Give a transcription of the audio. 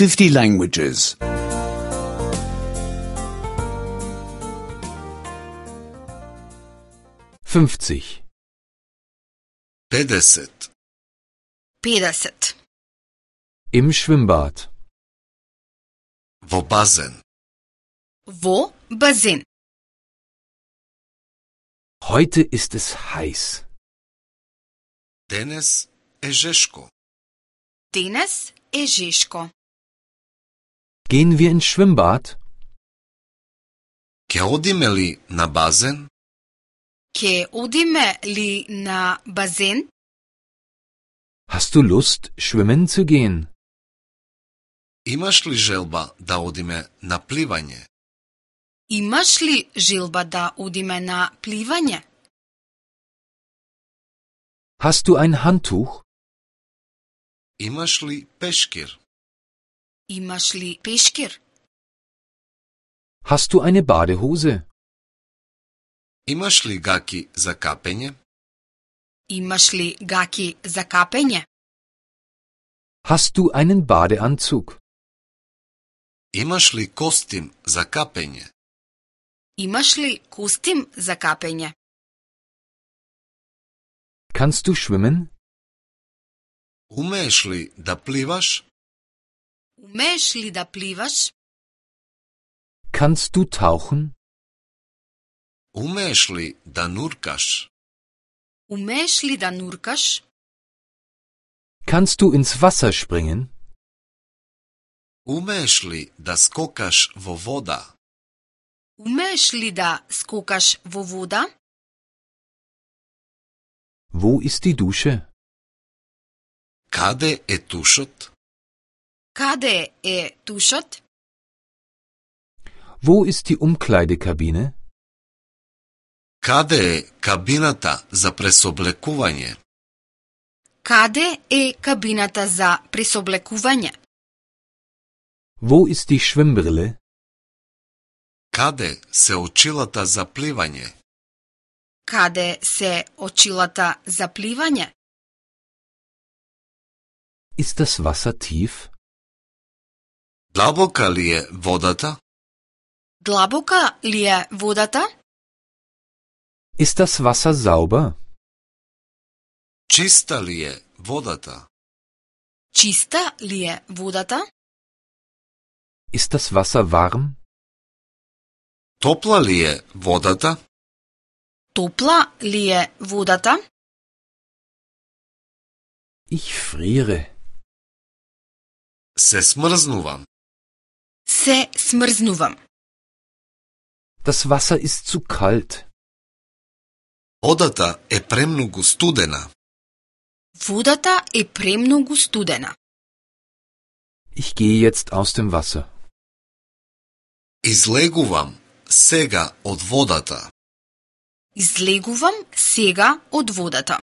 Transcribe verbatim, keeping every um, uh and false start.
fifty languages. fünfzig. pedeset. pedeset. Im Schwimmbad. Во базен. Во базен. Heute ist es heiß. Денес е жешко. Денес е жешко. Gehen wir ins Schwimmbad? Ке одиме ли на базен? Ке одиме ли на базен? Hast du Lust, schwimmen zu gehen? Имаш ли желба да одиме на пливање? Имаш ли желба да одиме на пливање? Hast du ein Handtuch? Имаш ли пешкир? Имаш ли пешкир? Hast du eine Badehose? Имаш ли гаки за капење? Имаш ли гаки за капење? Hast du einen Badeanzug? Имаш ли костим за капење? Имаш ли костим за капење? Kannst du schwimmen? Умееш ли да пливаш? Умееш ли да пливаш? Kannst du tauchen? Умееш ли да нуркаш? Умееш ли да нуркаш? Kannst du ins Wasser springen? Умееш ли да скокаш во вода? Умееш ли да скокаш во вода? Wo ist die Dusche? Каде е тушот? Каде е тушот? Wo ist die Umkleidekabine? Каде е кабината за пресоблекување? Каде е кабината за пресоблекување? Wo ist die Schwimmbrille? Каде се очилата за пливање? Каде се очилата за пливање? Ist das Wasser tief? Длабока ли е водата? Длабока ли е водата? Ist das Wasser sauber? Чиста ли е водата? Чиста ли е водата? Ist das Wasser warm? Топла ли е водата? Топла ли е водата? Ich friere. Се смрзнувам. Се смрзнувам. Das Wasser ist zu kalt. Водата е премногу студена. Водата е премногу студена. Ich gehe jetzt aus dem Wasser. Излегувам сега од водата. Излегувам сега од водата.